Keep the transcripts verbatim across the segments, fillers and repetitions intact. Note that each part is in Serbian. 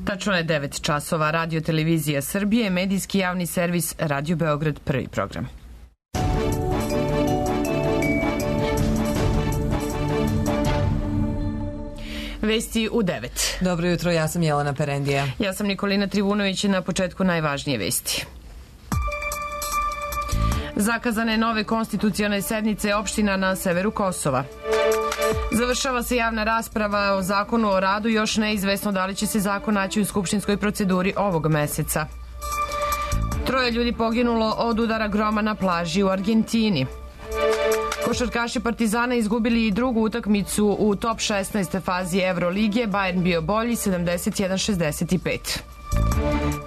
Tačno je devet časova. Radio Televizija Srbije, medijski javni servis Radio Beograd, prvi program. Vesti u devet. Dobro jutro, ja sam Jelena Perendija. Ja sam Nikolina Trivunović, na početku najvažnije vesti. Zakazane nove konstitucione sednice opština na severu Kosova. Završava se javna rasprava o zakonu o radu, još neizvesno da li će se zakon naći u skupštinskoj proceduri ovog meseca. Troje ljudi poginulo od udara groma na plaži u Argentini. Košarkaši Partizana izgubili i drugu utakmicu u top šesnaest fazi Evrolige, Bayern bio bolji sedamdeset jedan šezdeset pet.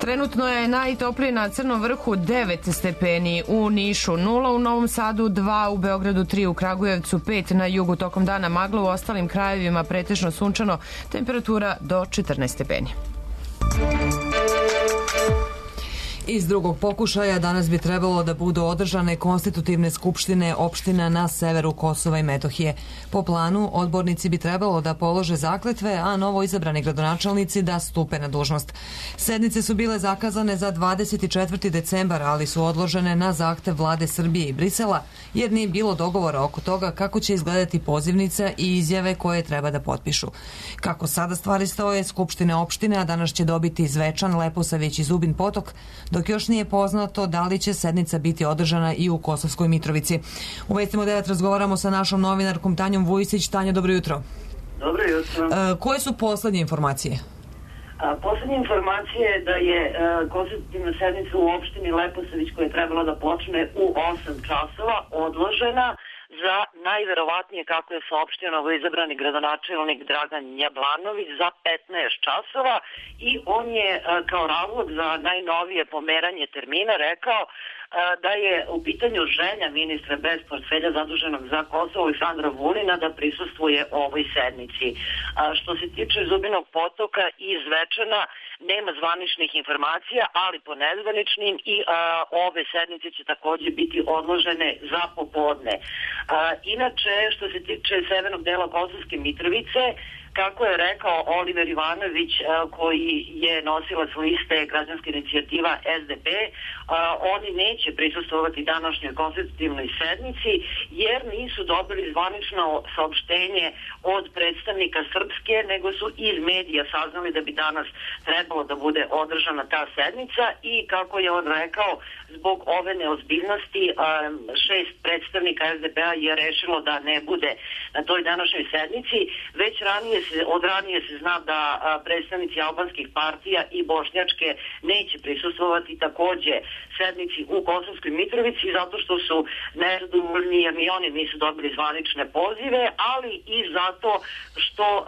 Trenutno je najtoplije na Crnom vrhu devet stepeni, u Nišu nula, u Novom Sadu dva, u Beogradu tri, u Kragujevcu pet, na jugu tokom dana magla, u ostalim krajevima pretežno sunčano, temperatura do četrnaest stepeni. Iz drugog pokušaja danas bi trebalo da budu održane konstitutivne skupštine opština na severu Kosova i Metohije. Po planu, odbornici bi trebalo da polože zakletve, a novo izabrani gradonačelnici da stupe na dužnost. Sednice su bile zakazane za dvadeset četvrti decembar, ali su odložene na zahtev vlade Srbije i Brisela, jer nije bilo dogovora oko toga kako će izgledati pozivnica i izjave koje treba da potpišu. Kako sada stvari stoje, skupštine opštine, a danas će dobiti Zvečan, Leposavić i Zubin Potok, dok još nije poznato da li će sednica biti održana i u Kosovskoj Mitrovici. U Vestima devet razgovaramo sa našom novinarkom Tanjom Vujisić. Tanja, dobro jutro. Dobro jutro. E, koje su poslednje informacije? A, poslednje informacije je da je e, konstitutivna sednica u opštini Leposavić, koja je trebala da počne u osam časova, odložena za najverovatnije, kako je saopštio novoizabrani gradonačelnik Dragan Jablanović, za petnaest časova, i on je kao razlog za najnovije pomeranje termina rekao da je u pitanju želja ministra bez portfelja zaduženog za Kosovo Aleksandra Vulina da prisustvuje ovoj sednici. Što se tiče Zubinog Potoka i Zvečana, nema zvaničnih informacija, ali po nezvaničnim i a, ove sednice će takođe biti odložene za popodne. A, inače, što se tiče severnog dela Kosovske Mitrovice, kako je rekao Oliver Ivanović, koji je nosilac liste Građanska inicijativa S D P, oni neće prisustvovati današnjoj konstitutivnoj sednici jer nisu dobili zvanično saopštenje od predstavnika Srpske, nego su iz medija saznali da bi danas trebalo da bude održana ta sednica, i kako je on rekao, zbog ove neozbiljnosti šest predstavnika S D P-a je rešilo da ne bude na toj današnjoj sednici. Već ranije se, od ranije se zna da predstavnici albanskih partija i bošnjačke neće prisustvovati takođe sednici u Kosovskoj Mitrovici, zato što su nezadovoljni jer ni oni nisu dobili zvanične pozive, ali i zato što uh,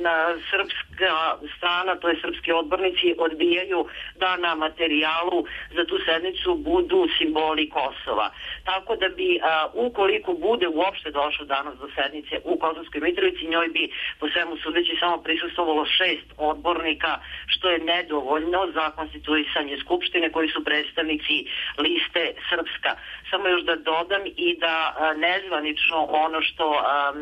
na srpska strana, to je srpski odbornici, odbijaju da na materijalu za tu sednicu budu simboli Kosova. Tako da bi, uh, ukoliko bude uopšte došlo danas do sednice u Kosovskoj Mitrovici, njoj bi po svemu sudeći samo prisustvovalo šest odbornika, što je nedovoljno za konstituisanje skupštine koji su predstavnici liste Srpska. Samo još da dodam i da a, nezvanično ono što a, a,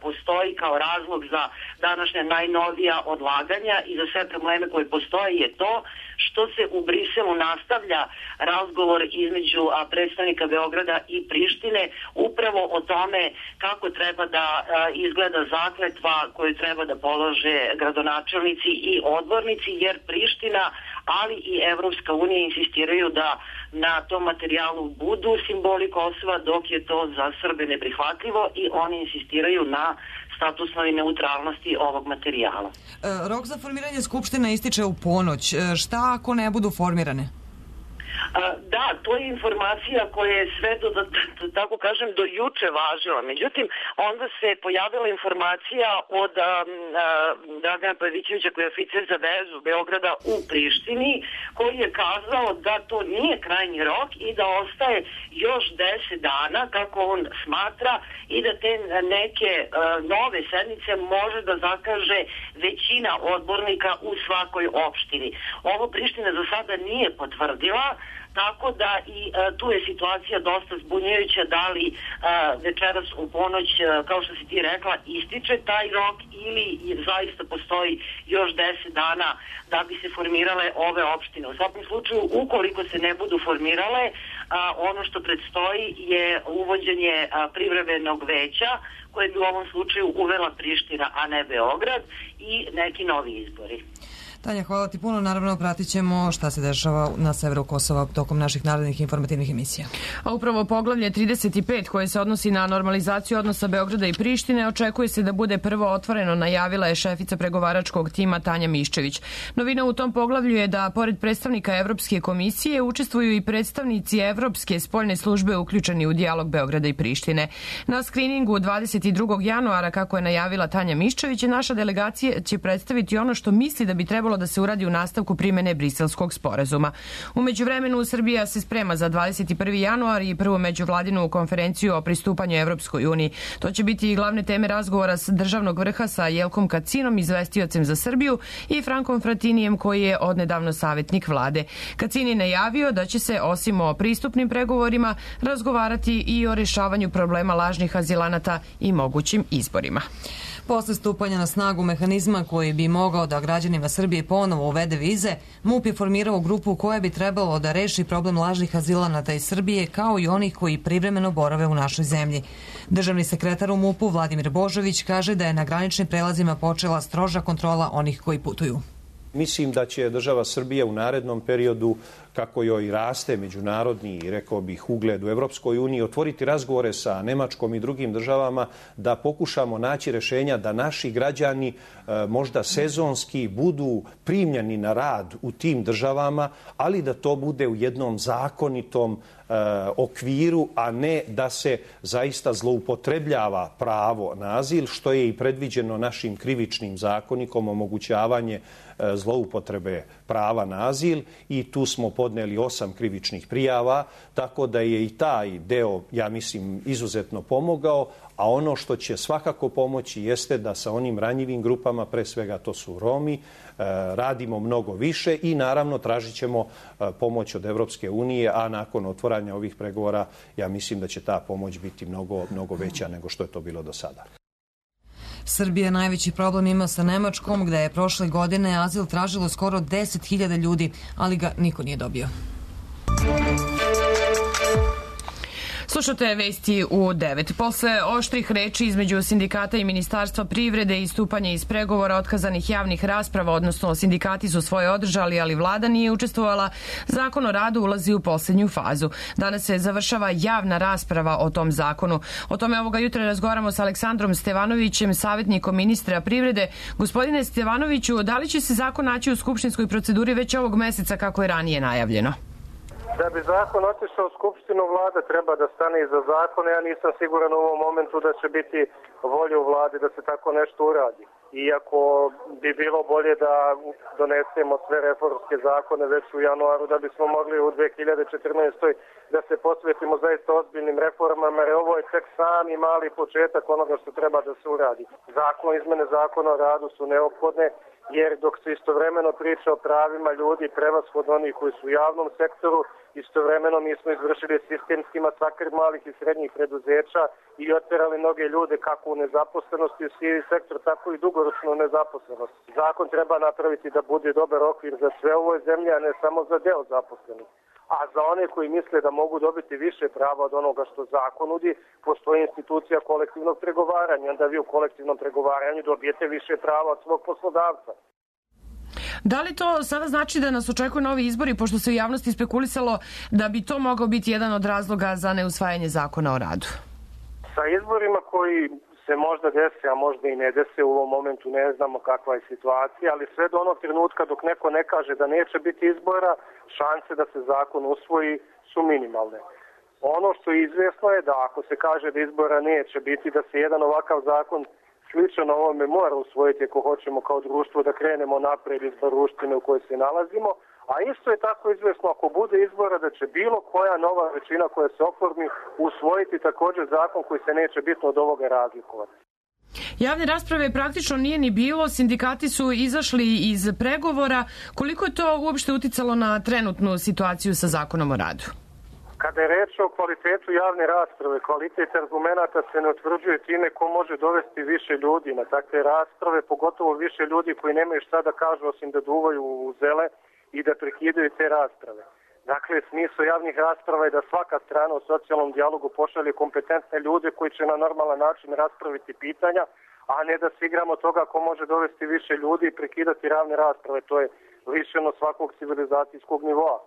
postoji kao razlog za današnja najnovija odlaganja i za sve probleme koje postoje je to što se u Briselu nastavlja razgovor između a, predstavnika Beograda i Prištine upravo o tome kako treba da a, izgleda zakletva koju treba da polože gradonačelnici i odbornici, jer Priština, ali i Evropska unija insistiraju da na tom materijalu budu simboli Kosova, dok je to za Srbe neprihvatljivo, i oni insistiraju na statusnoj neutralnosti ovog materijala. E, rok za formiranje skupština ističe u ponoć. E, šta ako ne budu formirane? Da, to je informacija koja je sve do, da, tako kažem, do juče važila. Međutim, onda se pojavila informacija od a, a, Dragana Pavićevića, koji je oficir za vezu Beograda u Prištini, koji je kazao da to nije krajnji rok i da ostaje još deset dana, kako on smatra, i da te neke a, nove sednice može da zakaže većina odbornika u svakoj opštini. Ovo Priština za sada nije potvrdila, tako da i uh, tu je situacija dosta zbunjujuća, da li uh, večeras u ponoć, uh, kao što si ti rekla, ističe taj rok ili zaista postoji još deset dana da bi se formirale ove opštine. U svakom slučaju, ukoliko se ne budu formirale, uh, ono što predstoji je uvođenje uh, privremenog veća, koje bi u ovom slučaju uvela Priština, a ne Beograd, i neki novi izbori. Tanja, hvala ti puno. Naravno, pratit ćemo šta se dešava na severu Kosova tokom naših narednih informativnih emisija. A upravo poglavlje trideset pet, koje se odnosi na normalizaciju odnosa Beograda i Prištine, očekuje se da bude prvo otvoreno, najavila je šefica pregovaračkog tima Tanja Miščević. Novina u tom poglavlju je da, pored predstavnika Evropske komisije, učestvuju i predstavnici Evropske spoljne službe uključeni u dijalog Beograda i Prištine. Na skriningu dvadeset drugog januara, kako je najavila Tanja Miščević, naša delegacija će predstaviti ono što misli da bi trebalo da se uradi u nastavku primene Briselskog sporazuma. U međuvremenu Srbija se sprema za dvadeset prvi januar i prvu međuvladinu konferenciju o pristupanju Evropskoj uniji. To će biti i glavne teme razgovora s državnog vrha sa Jelkom Kacinom, izvestiocem za Srbiju, i Frankom Fratinijem, koji je odnedavno savjetnik vlade. Kacin je najavio da će se, osim o pristupnim pregovorima, razgovarati i o rešavanju problema lažnih azilanata i mogućim izborima. Posle stupanja na snagu mehanizma koji bi mogao da građanima Srbije ponovo uvede vize, MUP je formirao grupu koja bi trebalo da reši problem lažnih azilanata iz Srbije, kao i onih koji privremeno borave u našoj zemlji. Državni sekretar u MUP-u Vladimir Božović kaže da je na graničnim prelazima počela stroža kontrola onih koji putuju. Mislim da će država Srbija u narednom periodu, kako joj raste međunarodni, rekao bih, ugled u Evropskoj uniji, otvoriti razgovore sa Nemačkom i drugim državama da pokušamo naći rešenja da naši građani možda sezonski budu primljeni na rad u tim državama, ali da to bude u jednom zakonitom okviru, a ne da se zaista zloupotrebljava pravo na azil, što je i predviđeno našim krivičnim zakonikom, omogućavanje zloupotrebe prava na azil, i tu smo podneli osam krivičnih prijava, tako da je i taj deo, ja mislim, izuzetno pomogao, a ono što će svakako pomoći jeste da sa onim ranjivim grupama, pre svega to su Romi, radimo mnogo više i naravno tražit ćemo pomoć od Evropske unije, a nakon otvaranja ovih pregovora ja mislim da će ta pomoć biti mnogo, mnogo veća nego što je to bilo do sada. Srbija najveći problem ima sa Nemačkom, gde je prošle godine azil tražilo skoro deset hiljada ljudi, ali ga niko nije dobio. Slušate vesti u devet. Posle oštrih reči između sindikata i Ministarstva privrede i stupanja iz pregovora otkazanih javnih rasprava, odnosno sindikati su svoje održali, ali vlada nije učestvovala, Zakon o radu ulazi u posljednju fazu. Danas se završava javna rasprava o tom zakonu. O tome ovoga jutra razgovaramo sa Aleksandrom Stevanovićem, savjetnikom ministra privrede. Gospodine Stevanoviću, da li će se zakon naći u skupštinskoj proceduri već ovog meseca kako je ranije najavljeno? Da bi zakon otišao u Skupštinu, vlada treba da stane iza zakona. Ja nisam siguran u ovom momentu da će biti volja u vladi da se tako nešto uradi. Iako bi bilo bolje da donesemo sve reformske zakone već u januaru, da bismo mogli u dve hiljade četrnaestoj da se posvetimo zaista ozbiljnim reformama, jer ovo je tek sami mali početak onoga što treba da se uradi. Zakon, izmene zakona o radu su neophodne, jer dok se istovremeno priča o pravima ljudi, prevashodno onih koji su u javnom sektoru, istovremeno mi smo izvršili sistemski masakr malih i srednjih preduzeća i otjerali mnoge ljude kako u nezaposlenosti u sivi sektor, tako i dugoročno u nezaposlenosti. Zakon treba napraviti da bude dobar okvir za sve ovoj zemlji, a ne samo za deo zaposlenih. A za one koji misle da mogu dobiti više prava od onoga što zakon nudi, postoji institucija kolektivnog pregovaranja. Onda vi u kolektivnom pregovaranju dobijete više prava od svog poslodavca. Da li to sada znači da nas očekuju novi izbori, pošto se u javnosti spekulisalo da bi to mogao biti jedan od razloga za neusvajanje zakona o radu? Sa izborima koji se možda desi, a možda i ne desi, u ovom momentu ne znamo kakva je situacija, ali sve do onog trenutka dok neko ne kaže da neće biti izbora, šanse da se zakon usvoji su minimalne. Ono što je izvjesno je da ako se kaže da izbora neće biti, da se jedan ovakav zakon slično na ovome mora usvojiti ako hoćemo kao društvo da krenemo napred iz društvine u kojoj se nalazimo, a isto je tako izvjesno ako bude izbora da će bilo koja nova većina koja se oformi usvojiti također zakon koji se neće bitno od ovoga razlikovati. Javne rasprave praktično nije ni bilo, sindikati su izašli iz pregovora. Koliko je to uopšte uticalo na trenutnu situaciju sa Zakonom o radu? Kada je reč o kvalitetu javne rasprave, kvalitet argumenata se ne utvrđuje time ko može dovesti više ljudi na takve rasprave, pogotovo više ljudi koji nemaju šta da kažu osim da duvaju u zele i da prekidaju te rasprave. Dakle, smisao javnih rasprava je da svaka strana u socijalnom dijalogu pošalje kompetentne ljude koji će na normalan način raspraviti pitanja, a ne da se igramo toga ko može dovesti više ljudi i prekidati ravne rasprave. To je lišeno svakog civilizacijskog nivoa.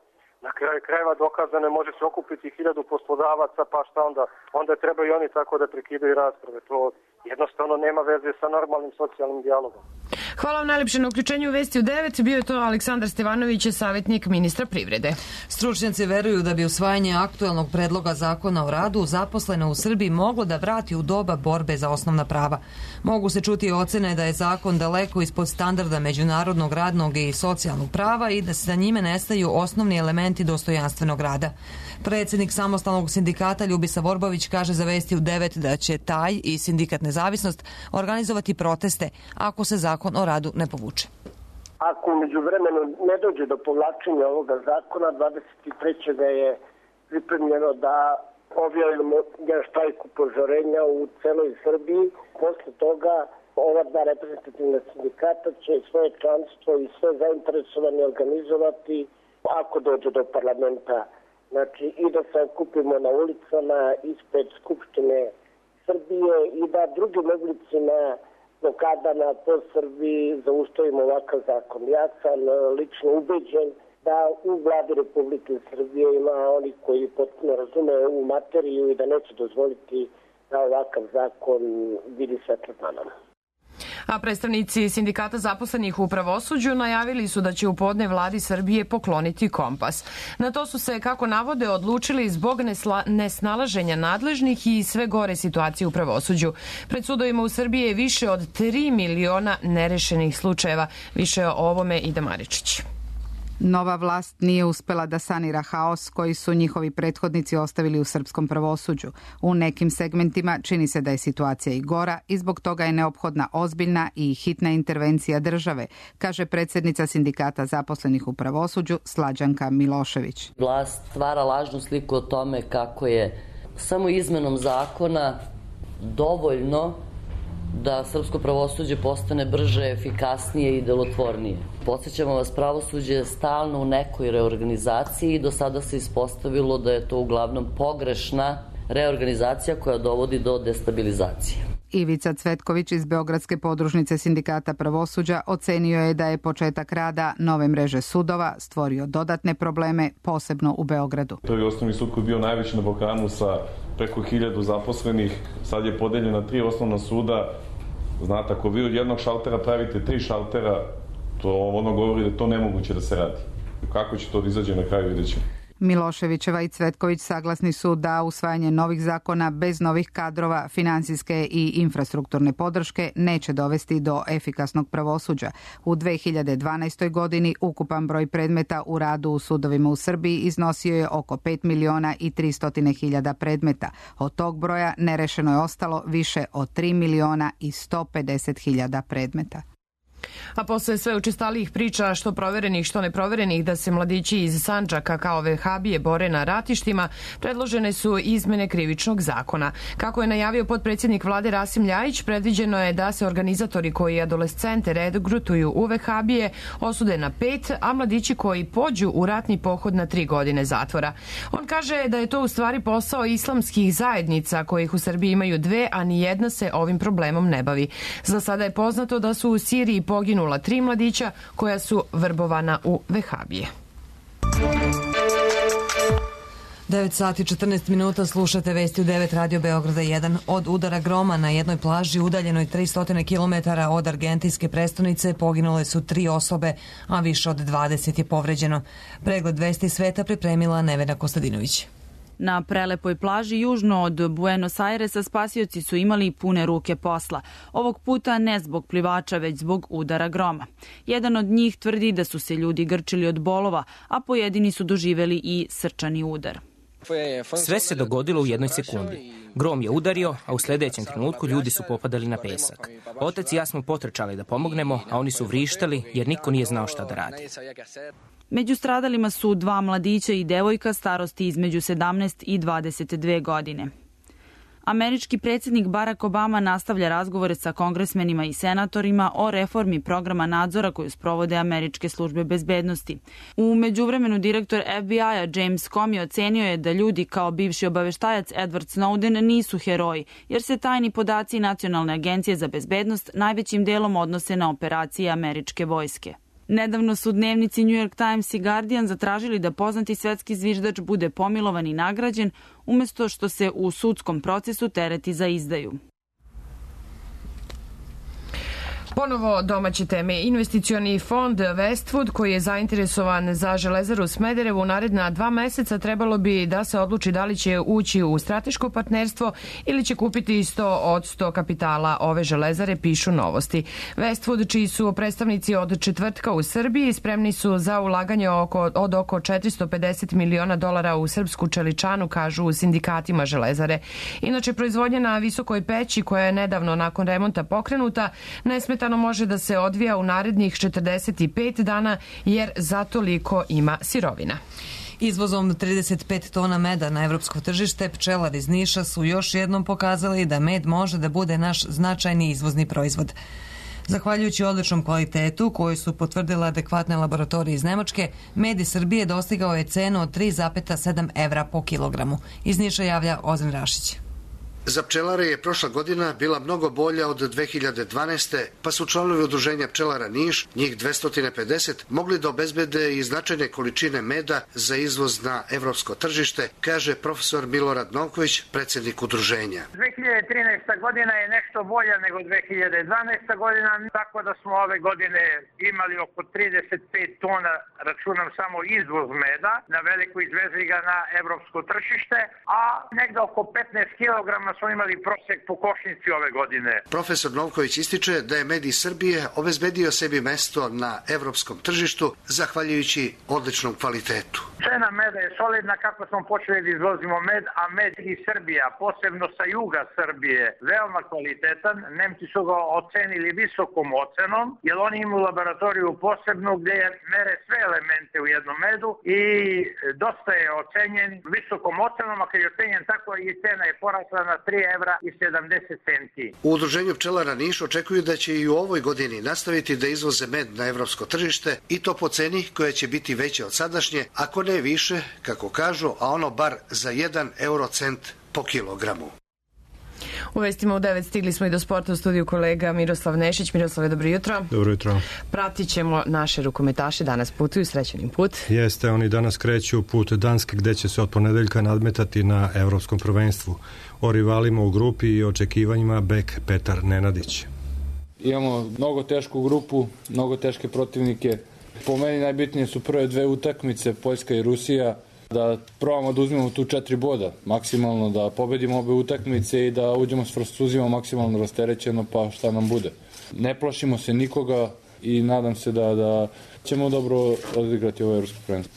Na kraju krajeva dokazano može se okupiti hiljadu poslodavaca, pa šta onda? Onda treba i oni tako da prekidaju rasprave. To jednostavno nema veze sa normalnim socijalnim dijalogom. Hvala vam najlepše na uključenju u Vesti u devet. Bio je to Aleksandar Stevanović, savjetnik ministra privrede. Stručnjaci veruju da bi usvajanje aktuelnog predloga zakona o radu zaposlene u Srbiji moglo da vrati u doba borbe za osnovna prava. Mogu se čuti ocene da je zakon daleko ispod standarda međunarodnog radnog i socijalnog prava i da se za njime nestaju osnovni elementi dostojanstvenog rada. Predsjednik samostalnog sindikata Ljubisa Vorbović kaže za Vesti u devet da će taj i sindikat Nezavisnost organizovati proteste ako se zakon o radu ne povuče. Ako umeđu vremenu ne dođe do povlačenja ovoga zakona, dvadeset trećeg je pripremljeno da objavimo štrajk upozorenja u celoj Srbiji. Posle toga ova dva reprezentativna sindikata će svoje članstvo i sve zainteresovane organizovati ako dođe do parlamenta. Znači i da se okupimo na ulicama ispred Skupštine Srbije i da drugim oblicima blokadama po Srbiji zaustavimo ovakav zakon. Ja sam lično ubeđen da u vladi Republike Srbije ima oni koji potpuno razume ovu materiju i da neće dozvoliti da ovakav zakon vidi svetlo dana. A predstavnici sindikata zaposlenih u pravosuđu najavili su da će u podne vladi Srbije pokloniti kompas. Na to su se, kako navode, odlučili zbog nesnalaženja nadležnih i sve gore situacije u pravosuđu. Pred sudovima u Srbiji je više od tri miliona nerešenih slučajeva. Više o ovome Ida Maričić. Nova vlast nije uspela da sanira haos koji su njihovi prethodnici ostavili u srpskom pravosuđu. U nekim segmentima čini se da je situacija i gora i zbog toga je neophodna ozbiljna i hitna intervencija države, kaže predsjednica sindikata zaposlenih u pravosuđu Slađanka Milošević. Vlast stvara lažnu sliku o tome kako je samo izmenom zakona dovoljno da srpsko pravosuđe postane brže, efikasnije i delotvornije. Podsjećamo vas, pravosuđe je stalno u nekoj reorganizaciji i do sada se ispostavilo da je to uglavnom pogrešna reorganizacija koja dovodi do destabilizacije. Ivica Cvetković iz Beogradske podružnice sindikata pravosuđa ocenio je da je početak rada nove mreže sudova stvorio dodatne probleme, posebno u Beogradu. Prvi osnovni sud koji je bio najveći na Balkanu sa preko hiljadu zaposlenih, sad je podeljen na tri osnovna suda. Znate, ako vi od jednog šaltera pravite tri šaltera, to ono govori da je to nemoguće da se radi. Kako će to da izađe na kraju, vidjet ćemo. Miloševićeva i Cvetković saglasni su da usvajanje novih zakona bez novih kadrova, finansijske i infrastrukturne podrške neće dovesti do efikasnog pravosuđa. U dve hiljade dvanaestoj. godini ukupan broj predmeta u radu u sudovima u Srbiji iznosio je oko pet miliona i tristo hiljada predmeta. Od tog broja nerešeno je ostalo više od tri miliona i sto pedeset hiljada predmeta. A posle sve učestalijih priča, što proverenih, što neproverenih, da se mladići iz Sandžaka kao vehabije bore na ratištima, predložene su izmene krivičnog zakona. Kako je najavio potpredsjednik vlade Rasim Ljajić, predviđeno je da se organizatori koji adolescente regrutuju u vehabije osude na pet, a mladići koji pođu u ratni pohod na tri godine zatvora. On kaže da je to u stvari posao islamskih zajednica, kojih u Srbiji imaju dve, a ni jedna se ovim problemom ne bavi. Za sada je poznato da su u Siriji poginula tri mladića koja su vrbovana u vehabije. devet sati četrnaest minuta, slušate Vesti u devet, Radio Beograda jedan. Od udara groma na jednoj plaži udaljenoj tristo kilometara od argentinske prestonice poginule su tri osobe, a više od dvadeset je povređeno. Pregled Vesti sveta pripremila Nevena Kostadinović. Na prelepoj plaži južno od Buenos Airesa spasioci su imali pune ruke posla. Ovog puta ne zbog plivača, već zbog udara groma. Jedan od njih tvrdi da su se ljudi grčili od bolova, a pojedini su doživeli i srčani udar. Sve se dogodilo u jednoj sekundi. Grom je udario, a u sljedećem trenutku ljudi su popadali na pesak. Otac i ja smo potrčali da pomognemo, a oni su vrištali jer niko nije znao šta da radi. Među stradalima su dva mladića i devojka starosti između sedamnaest i dvadeset dve godine. Američki predsjednik Barack Obama nastavlja razgovore sa kongresmenima i senatorima o reformi programa nadzora koju sprovode američke službe bezbednosti. U međuvremenu direktor F B I-a James Comey ocenio je da ljudi kao bivši obaveštajac Edward Snowden nisu heroji, jer se tajni podaci Nacionalne agencije za bezbednost najvećim delom odnose na operacije američke vojske. Nedavno su dnevnici New York Times i Guardian zatražili da poznati svetski zviždač bude pomilovan i nagrađen, umjesto što se u sudskom procesu tereti za izdaju. Ponovo domaće teme. Investicioni fond Westwood, koji je zainteresovan za Železaru Smederevo u naredna dva meseca, trebalo bi da se odluči da li će ući u strateško partnerstvo ili će kupiti sto posto kapitala ove železare, pišu Novosti. Westwood, čiji su predstavnici od četvrtka u Srbiji, spremni su za ulaganje oko, od oko četiristo pedeset miliona dolara u srpsku čeličanu, kažu u sindikatima železare. Inače, proizvodnja na visokoj peći, koja je nedavno nakon remonta pokrenuta, nesmetano može da se odvija u narednih četrdeset pet dana, jer za toliko ima sirovina. Izvozom trideset pet tona meda na evropsko tržište, pčelari iz Niša su još jednom pokazali da med može da bude naš značajni izvozni proizvod. Zahvaljujući odličnom kvalitetu koju su potvrdile adekvatne laboratorije iz Nemačke, med iz Srbije dostigao je cenu od tri zarez sedam evra po kilogramu. Iz Niša javlja Ozren Rašić. Za pčelare je prošla godina bila mnogo bolja od dve hiljade dvanaeste. pa su članovi udruženja pčelara Niš, njih dvesta pedeset, mogli da obezbede i značajne količine meda za izvoz na evropsko tržište, kaže profesor Milorad Novković, predsjednik udruženja. dve hiljade trinaesta godina je nešto bolja nego dve hiljade dvanaesta godina, tako da smo ove godine imali oko trideset pet tona, računam samo izvoz meda, na veliko izvezli ga na evropsko tržište, a negde oko petnaest kilograma smo imali prosjek po košnici ove godine. Profesor Novković ističe da je med iz Srbije obezbedio sebi mesto na evropskom tržištu zahvaljujući odličnom kvalitetu. Cena meda je solidna kako smo počeli da izvozimo med, a med iz Srbija, posebno sa juga Srbije, veoma kvalitetan. Nemci su ga ocenili visokom ocenom, jer oni imaju laboratoriju posebnu gdje mere sve elemente u jednom medu i dosta je ocenjen visokom ocenom, a kad je ocenjen tako i cena je porasla na tri evra i sedamdeset centi. U udruženju pčelara Niš očekuju da će i u ovoj godini nastaviti da izvoze med na evropsko tržište i to po ceni koja će biti veća od sadašnje, ako ne više, kako kažu, a ono bar za jedan eurocent po kilogramu. U vestima u devet stigli smo i do sporta, u studiju kolega Miroslav Nešić. Miroslave, dobro jutro. Dobro jutro. Pratit ćemo naše rukometaše, danas putuju, srećenim put. Jeste, oni danas kreću put Danske, gde će se od ponedeljka nadmetati na evropskom prvenstvu. O rivalima u grupi i očekivanjima bek Petar Nenadić. Imamo mnogo tešku grupu, mnogo teške protivnike. Po meni najbitnije su prve dve utakmice, Poljska i Rusija, da probamo da uzmemo tu četiri boda, maksimalno da pobedimo obe utakmice i da uđemo s Francuzima maksimalno rasterećeno, pa šta nam bude. Ne plašimo se nikoga i nadam se da, da ćemo dobro odigrati ovo evropsko prvenstvo.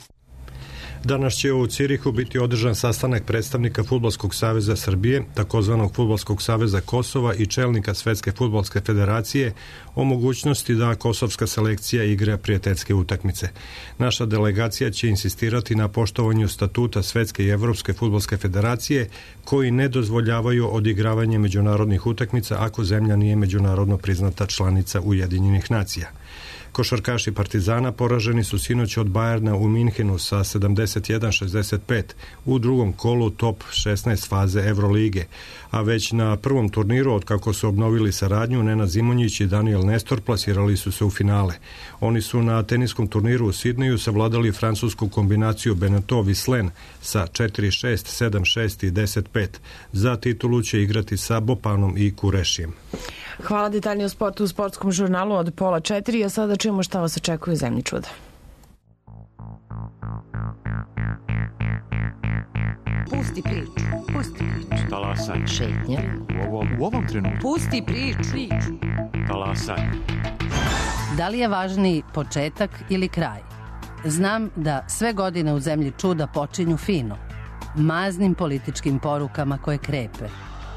Danas će u Cirihu biti održan sastanak predstavnika Fudbalskog saveza Srbije, takozvanog Fudbalskog saveza Kosova i čelnika Svetske fudbalske federacije o mogućnosti da kosovska selekcija igra prijateljske utakmice. Naša delegacija će insistirati na poštovanju statuta Svetske i Evropske fudbalske federacije, koji ne dozvoljavaju odigravanje međunarodnih utakmica ako zemlja nije međunarodno priznata članica Ujedinjenih nacija. Košarkaši Partizana poraženi su sinoć od Bajerna u Minhenu sa sedamdeset jedan šezdeset pet u drugom kolu top šesnaest faze Evrolige, a već na prvom turniru, od kako su obnovili saradnju, Nenad Zimonjić i Daniel Nestor plasirali su se u finale. Oni su na teniskom turniru u Sidneju savladali francusku kombinaciju Beneteau-Vislen sa četiri šest, sedam šest i deset pet. Za titulu će igrati sa Bopanom i Kurešijem. Hvala, detaljnije o sportu u sportskom žurnalu od pola četiri, a sada čujemo šta vas očekuje u zemlji čuda. Pusti priču, pusti priču. Talasaj. Šetnja. U ovom, u ovom trenutku. Pusti priču. Talasaj. Da li je važniji početak ili kraj? Znam da sve godine u zemlji čuda počinju fino, maznim političkim porukama koje krepe,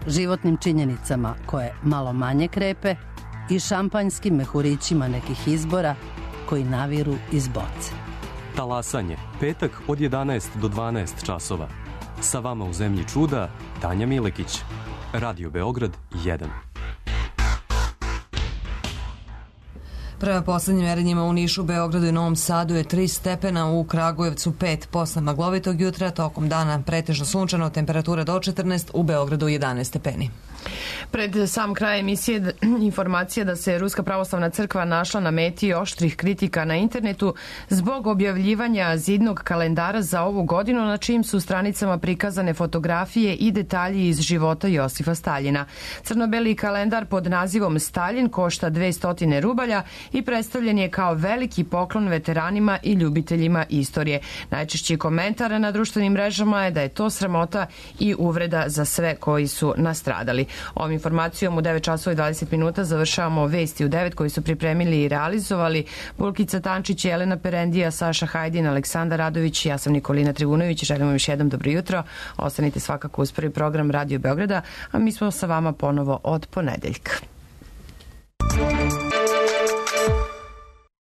životnim činjenicama koje malo manje krepe i šampanjskim mehurićima nekih izbora koji naviru iz boce. Talasanje, petak od jedanaest do dvanaest časova. Sa vama u Zemlji čuda, Tanja Milekić. Radio Beograd jedan. Prema poslednjim merenjima u Nišu, Beogradu i Novom Sadu je tri stepena, u Kragujevcu pet. Posle maglovitog jutra, tokom dana pretežno sunčano, temperatura do četrnaest, u Beogradu jedanaest stepeni. Pred sam kraj emisije informacija da se Ruska pravoslavna crkva našla na meti oštrih kritika na internetu zbog objavljivanja zidnog kalendara za ovu godinu na čijim su stranicama prikazane fotografije i detalji iz života Josifa Staljina. Crno-beli kalendar pod nazivom Staljin košta dvesta rubalja i predstavljen je kao veliki poklon veteranima i ljubiteljima istorije. Najčešći komentar na društvenim mrežama je da je to sramota i uvreda za sve koji su nastradali. Ovom informacijom u devet časova i dvadeset minuta završavamo Vesti u devet koji su pripremili i realizovali Bulkica Tančić, Jelena Perendija, Saša Hajdin, Aleksandar Radović, ja sam Nikolina Trivunović. Želim vam još jednom dobro jutro. Ostanite svakako uz prvi program Radio Beograda, a mi smo sa vama ponovo od ponedeljka.